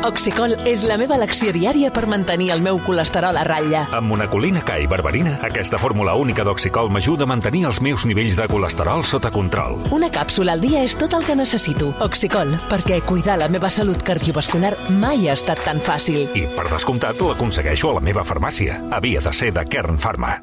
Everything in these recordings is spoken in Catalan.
Oxicol és la meva elecció diària per mantenir el meu colesterol a ratlla. Amb monacolina K i berberina, aquesta fórmula única d'Oxicol m'ajuda a mantenir els meus nivells de colesterol sota control. Una càpsula al dia és tot el que necessito. Oxicol, perquè cuidar la meva salut cardiovascular mai ha estat tan fàcil. I, per descomptat, l'aconsegueixo a la meva farmàcia. Havia de ser de Kern Pharma.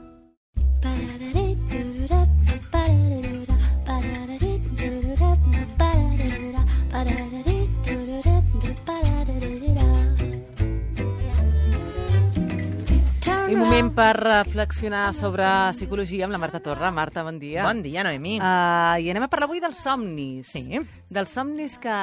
Un moment per reflexionar sobre psicologia amb la Marta Torra. Marta, bon dia. Bon dia, Noemi. I anem a parlar avui dels somnis. Sí. Dels somnis que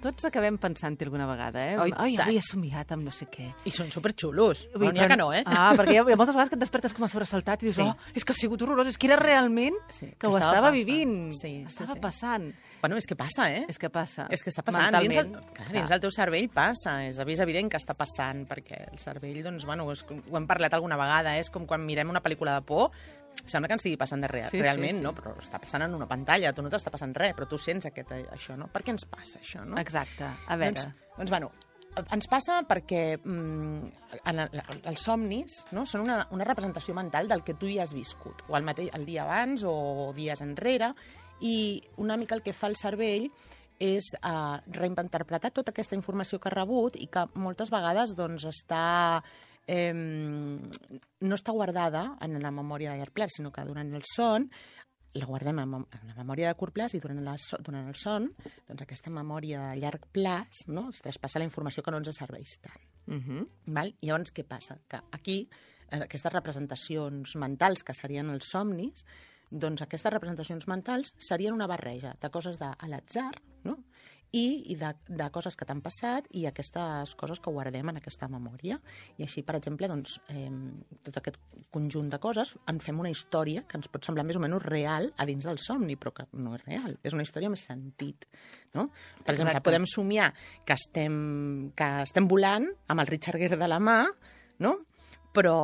tots acabem pensant-hi alguna vegada, eh? Ai, avui he somiat amb no sé què. I són superxulos. No n'hi ha que no, eh? Perquè hi ha moltes vegades que et despertes com a sobresaltat i dius, és que ha sigut horrorós, és que era realment que ho estava vivint. Estava passant. Bueno, és que passa, eh? És que passa. És que està passant. Dins el teu cervell passa. És evident que està passant, perquè el cervell, doncs, bueno, ho hem parlat alguna vegada, és com quan mirem una pel·lícula de por, sembla que ens estigui passant realment, no? Però està passant en una pantalla, tu no t'està passant res, però tu sents això, no? Per què ens passa això, no? Exacte. A veure. Doncs bueno, ens passa perquè els somnis, no, són una representació mental del que tu ja has viscut, o el dia abans o dies enrere, i una mica el que fa el cervell és reinterpretar tota aquesta informació que ha rebut i que moltes vegades doncs, no està guardada en la memòria de llarg plaç, sinó que durant el son la guardem en la memòria de curt plaç i durant el son doncs aquesta memòria de llarg plaç, no, es traspassa la informació que no ens serveix tant. Val? I llavors què passa? Que aquí aquestes representacions mentals que serien els somnis, doncs aquestes representacions mentals serien una barreja de coses a l'atzar, no? I de coses que t'han passat i aquestes coses que guardem en aquesta memòria. I així, per exemple, doncs, tot aquest conjunt de coses en fem una història que ens pot semblar més o menys real a dins del somni, però que no és real. És una història amb sentit, no? Per exemple, podem somiar que estem volant amb el Richard Gere de la mà, no? Però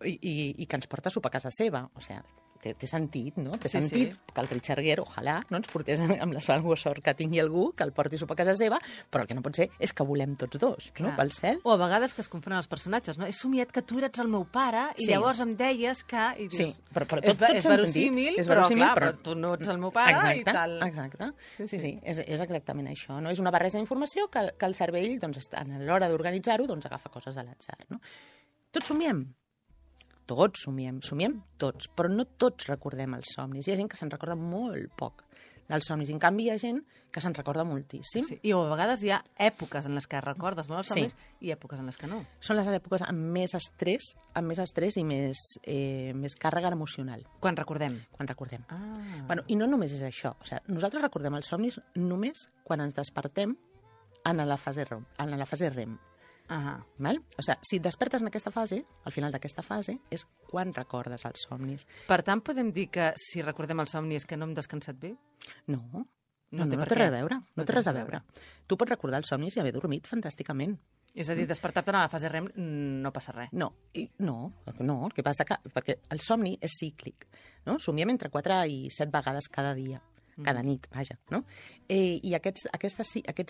i que ens porta a sopar a casa seva. O sigui, té sentit, no? Té sentit que el Richard Gere, ojalà, no ens portés amb la sort que tingui algú que el porti a sopar a casa seva, però el que no pot ser és que volem tots dos, no? Pel cel. O a vegades que es confonen els personatges, no? He somiat que tu eres el meu pare i llavors em deies que... Sí, però tot és verosímil, però clar, però tu no ets el meu pare i tal. Exacte. Sí, és exactament això, no? És una barreja d'informació que el cervell, doncs, a l'hora d'organitzar-ho, doncs agafa coses de l'atzar, no? Tots somiem. Tots somiem tots, però no tots recordem els somnis. Hi ha gent que se'n recorda molt poc dels somnis, i en canvi hi ha gent que se'n recorda moltíssim. Sí. I a vegades hi ha èpoques en les que recordes molt els somnis i èpoques en les que no. Són les èpoques amb més estrès i més càrrega emocional. Quan recordem. Bueno, i no només és això. O sigui, nosaltres recordem els somnis només quan ens despertem en la fase REM. Val? O sigui, si et despertes en aquesta fase, al final d'aquesta fase, és quan recordes els somnis. Per tant, podem dir que si recordem els somnis que no hem descansat bé? No té res a veure. No té res a veure. Tu pots recordar els somnis i haver dormit fantàsticament. És a dir, despertar-te en la fase REM no passa res. No, el que passa perquè el somni és cíclic, no? Somiem entre 4 i 7 vegades cada dia. Cada nit, vaja, no? I aquests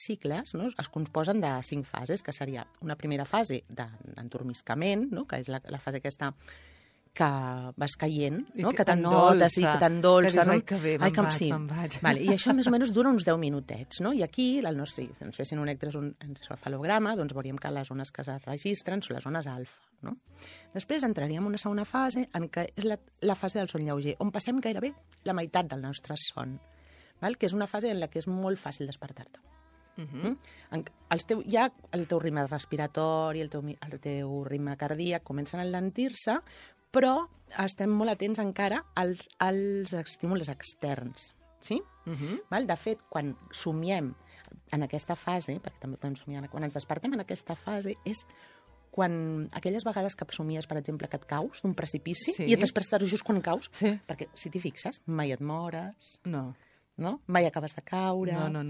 cicles, no, es composen de 5 fases, que seria una primera fase d'endormiscament, no, que és la fase aquesta que vas caient, no? Que t'anotes i que t'endolça. Que dius, ai, que bé, me'n vaig. Vale, i això més o menys dura uns 10 minutets, no? I aquí, si ens fessin un electroencefalograma, doncs veuríem que les zones que es registren són les zones alfa, no? Després entraríem en una segona fase, en què és la fase del son lleuger, on passem gairebé la meitat del nostre son, que és una fase en la que és molt fàcil despertar-te. Ja el teu ritme respiratori, el teu ritme cardíac comencen a enlentir-se, però estem molt atents encara als estímuls externs. Sí? De fet, quan somiem en aquesta fase, perquè també podem somiar, quan ens despertem en aquesta fase, és quan aquelles vegades que somies, per exemple, que et caus d'un precipici i et despertes just quan caus, perquè si t'hi fixes, mai et mores, mai acabes de caure. No.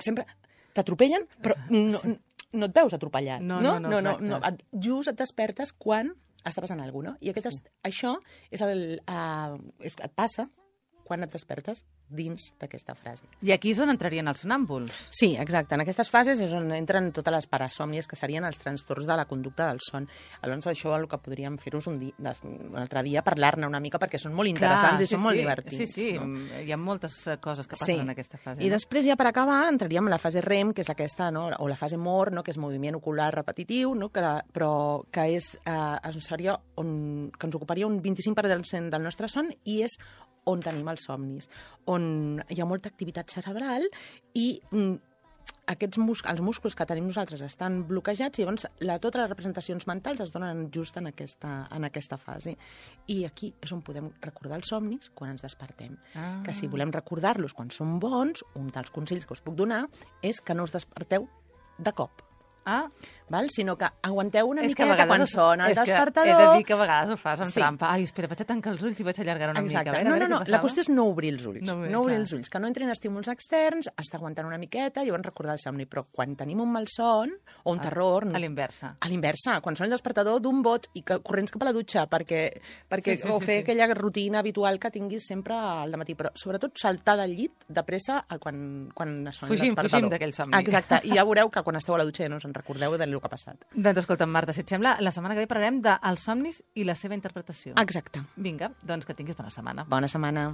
Sempre t'atropellen, però no et veus atropellat. No. Just et despertes quan està passant alguna cosa. I això et passa quan et despertes dins d'aquesta frase. I aquí és on entrarien els sonàmbuls. Sí, exacte. En aquestes fases és on entren totes les parasòmnies, que serien els trastorns de la conducta del son. Aleshores, això el que podríem fer-vos un altre dia, parlar-ne una mica, perquè són molt interessants i són molt divertits. Sí, no? Hi ha moltes coses que passen en aquesta fase. I després, ja per acabar, entraríem en la fase REM, que és aquesta, no? O la fase MOR, no? Que és moviment ocular repetitiu, no? Però que seria que ens ocuparia un 25% del nostre son i és on tenim els somnis, on hi ha molta activitat cerebral i els músculs que tenim nosaltres estan bloquejats i llavors totes les representacions mentals es donen just en aquesta fase. I aquí és on podem recordar els somnis quan ens despertem. Que si volem recordar-los quan són bons, un dels consells que us puc donar és que no us desperteu de cop. Sinó que aguanteu una miqueta quan sona el despertador. He de dir que a vegades ho fas amb trampa. Ai, espera, vaig a tancar els ulls i vaig a allargar una mica. No, la qüestió és no obrir els ulls. No obrir els ulls, que no entrin estímuls externs, estar aguantant una miqueta i llavors recordar el somni. Però quan tenim un malson o un terror... A l'inversa. A l'inversa, quan sona el despertador d'un bot i corrents cap a la dutxa o fer aquella rutina habitual que tinguis sempre al dematí. Però sobretot saltar del llit de pressa quan sona el despertador. Fugim d'aquell somni. Exacte, i ja veureu que quan esteu a la dutxa ja no us en recordeu del que ha passat. Doncs escolta'm, Marta, si et sembla, la setmana que ve parlarem dels somnis i la seva interpretació. Exacte. Vinga, doncs que tinguis bona setmana. Bona setmana.